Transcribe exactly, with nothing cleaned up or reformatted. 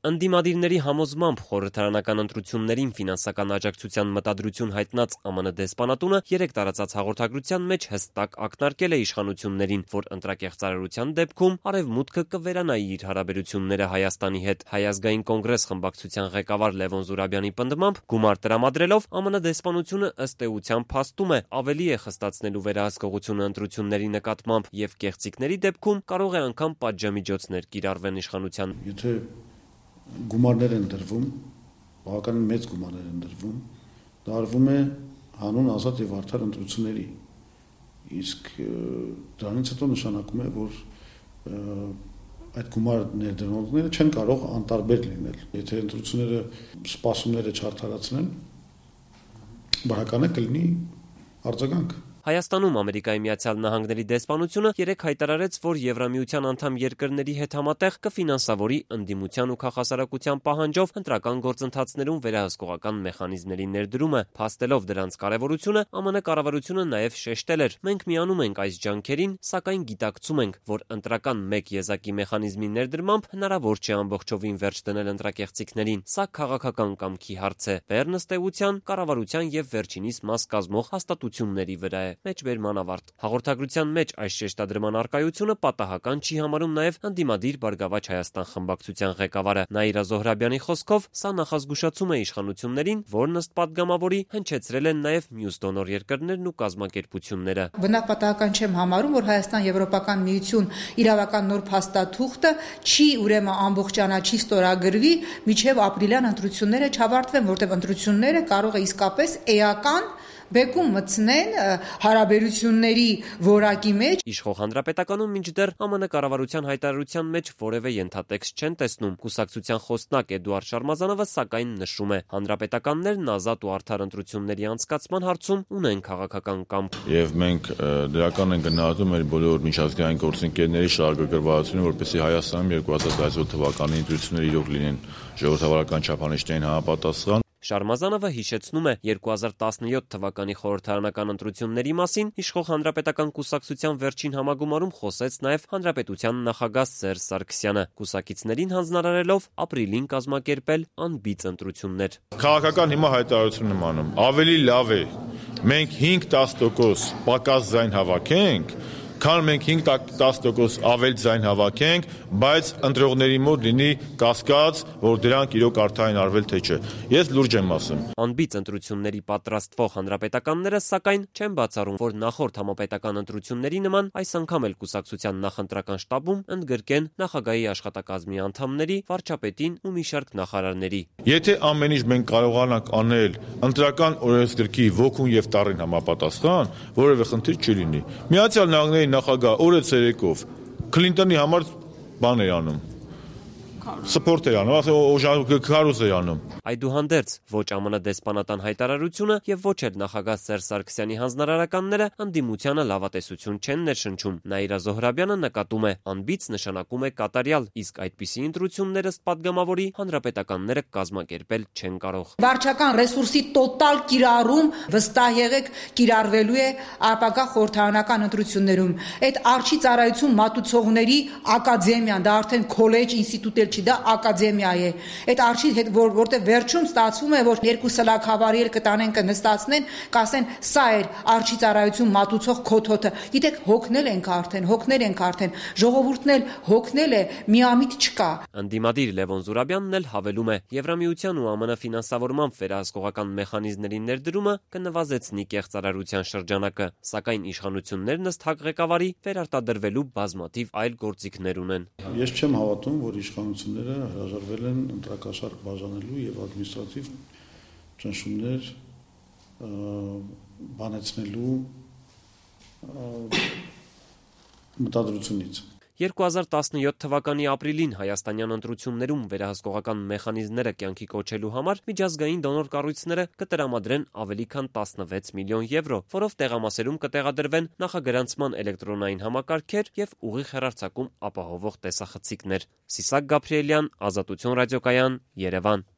Ընդդիմադիրների համոզմամբ խորհրդարանական ընտրություններին ֆինանսական աջակցության մտադրություն հայտնած Է Մ Ն դեսպանատունը երեկ տարածած հաղորդագրության մեջ հստակ ակնարկել է իշխանություններին, որ ընտրակեղծարարության դեպքում Արևմուտքը կվերանայի իր հարաբերությունները Հայաստանի հետ։ Հայ ազգային կոնգրես խմբակցության ղեկավար Լևոն Զուրաբյանի պնդմամբ գումար տրամադրելով Է Մ Ն դեսպանությունը ըստ էության փաստում է ավելի է խստացնելու վերահսկողությունը ընտրությունների նկատմամբ եւ կեղծիքների դեպքում կարող է անգամ պատժամիջոցներ կիրառվեն իշխանության։ Եթե գումարներ են դրվում, բավականին մեծ գումարներ են դրվում, դա արվում է հանուն ազատ եւ արդար ընտրությունների։ Իսկ դրանից հետո նշանակում է, որ այդ գումար ներդրողները չեն կարող անտարբեր լինել։ Եթե ընտրությունները սպասումները չարդարացնեն, բավական է կլինի արձագանք։ Հայաստանում Ամերիկայի Միացյալ Նահանգների դեսպանությունը երեկ հայտարարեց, որ Եվրամիության անդամ երկրների հետ համատեղ կֆինանսավորի ընդդիմության ու քաղաքասարակության պահանջով ընտրական գործընթացներում վերահսկողական մեխանիզմների ներդրումը, փաստելով դրանց կարևորությունը, Է Մ Ն կառավարությունը նաև շեշտել էր. մենք միանում ենք այս ջանքերին, սակայն գիտակցում ենք, որ ընտրական մեկ եզակի մեխանիզմի ներդրմամբ հնարավոր չէ ամբողջովին վերջ դնել ընտրակեղծիքներին։ Սա քաղաքական կամքի հարց է, բեռն ըստ էության կառավարության եւ վերջինիս մաս կազմող հաստատությունների վրա է։ Մեջբերման ավարտ։ Հաղորդագրության մեջ այս շեշտադրման առկայությունը պատահական չի համարում նաև ընդդիմադիր Բարգավաճ Հայաստան խմբակցության ղեկավարը Նաիրա Զոհրաբյանի խոսքով, սա նախազգուշացում է իշխանություններին, որն ըստ падգամավորի հնչեցրել են նաև մյուս դոնոր երկրներն ու կազմակերպությունները։ Բնավ պատահական չեմ համարում, որ Հայաստան-Եվրոպական միություն իրավական նոր փաստաթուղթը չի ուրեմն ամբողջանա, չի ստորագրվի, միջև ապրիլյան ընտրությունները չավարտվեն, որտեղ ընտրությունները կարող է իսկապես էական բեկում մտցնեն հարաբերությունների որակի մեջ։ Իշխող հանրապետականում մինչդեռ Է Մ Ն կառավարության հայտարարության մեջ որևէ ենթատեքստ չեն տեսնում։ Կուսակցության խոսնակ Էդուարդ Շարմազանովը սակայն նշում է. հանրապետականներն ազատ ու արդար ընտրությունների անցկացման հարցում ունեն քաղաքական կամք։ Եվ մենք դրական են գնահատում մեր բոլոր միջազգային գործընկերների շահագրգռվածությունը, որպեսզի Հայաստանում երկու հազար տասնյոթ թվականի ընտրությունները իրոք լինեն ժողովրդավարական չափանիշներին համապատասխան։ Շարմազանովը հիշեցնում է երկու հազար տասնյոթ թվականի խորհրդարանական ընտրությունների մասին իշխող հանրապետական կուսակցության վերջին համագումարում խոսեց նաև հանրապետության նախագահ Սերժ Սարգսյանը, կուսակիցներին հանձնարարելով ապրիլին կազմակերպել անբիծ ընտրություններ։ Քաղաքական հիմա հայտարարություն եմ անում, ավելի լավ է մենք հինգ-տասը տոկոս պակաս ձայն հավաքենք, քան մենք հինգ-տասը տոկոս ավել ձայն հավաքենք, բայց ընտրողների մոտ լինի կասկած, որ դրանք իրոք արդարին արվել թե չէ։ Ես լուրջ եմ ասում։ Անբիծ ընտրությունների պատրաստվող հանրապետականները սակայն չեն բացառում, որ նախորդ համապետական ընտրությունների նման այս անգամ էլ կուսակցության նախընտրական շտաբում ընդգրկեն նախագահի աշխատակազմի անդամների, վարչապետին ու մի շարք նախարարների։ Եթե ամեն ինչ մենք կարողանանք անել ընտրական օրենսգրքի ոգուն եւ տառին համապատասխան, որևէ խնդիր չի լինի։ Միացյալ Նահանգների նախագահ օրը ցերեկով Քլինտոնի համար բան էր անում։ Սպորտ էր անում, ասել քարոզ էր անում։ Այդուհանդերձ ոչ Է Մ Ն դեսպանատան հայտարարությունը եւ ոչ էլ նախագահ Սերժ Սարգսյանի հանձնարարականները ընդդիմությանը լավատեսություն չեն ներշնչում։ Նաիրա Զոհրաբյանը նկատում է, անբիծ նշանակում է կատարյալ, իսկ այդպիսի ընտրություններ ըստ падգամավորի հանրապետականները կազմակերպել չեն կարող։ Վարչական ռեսուրսի տոտալ կիրառում վստահ եղեք կիրառվելու է ապագա խորհրդարանական ընտրություններում։ Այդ արչի ծառայություն մատուցողների ակադեմիան, դա արդեն քոլեջ, ինստիտուտ չի, դա ակադեմիա է։ Այդ արչի հետ որ որտեղ վերջում ստացվում է, որ երկու սլաքավարի էլ կտանեն կնստացնեն, կասեն սա էր արչի ծառայություն մատուցող քոթոթը։ Գիտեք, հոգնել ենք արդեն, հոգնել ենք արդեն, ժողովուրդն էլ հոգնել է, միամիտ չկա։ Ընդդիմադիր Լևոն Զուրաբյանն էլ հավելում է. Եվրամիության ու Է Մ Ն ֆինանսավորմամբ վերահսկողական մեխանիզմների ներդրումը կնվազեցնի կեղծարարության շրջանակը, սակայն իշխանություններն ըստ ՀԱԿ ղեկավարի վերարտադրվելու բազմաթիվ այլ գործիքներ ունեն։ Ես չեմ հավատում, որ իշխանությունները հրաժարվել են ընտրակաշառք բաժանելու եւ ադմինիստրատիվ ճնշումներ բանեցնելու մտադրությունից։ երկու հազար տասնյոթ թվականի ապրիլին հայաստանյան ընտրություններում վերահսկողական մեխանիզմները կյանքի կոչելու համար միջազգային դոնոր կառույցները կտրամադրեն ավելի քան տասնվեց միլիոն եվրո, որով տեղամասերում կտեղադրվեն նախագրանցման էլեկտրոնային համակարգեր եւ ուղիղ հեռարձակում ապահովող տեսախցիկներ։ Սիսակ Գաբրիելյան, Ազատություն ռադիոկայան, Երևան։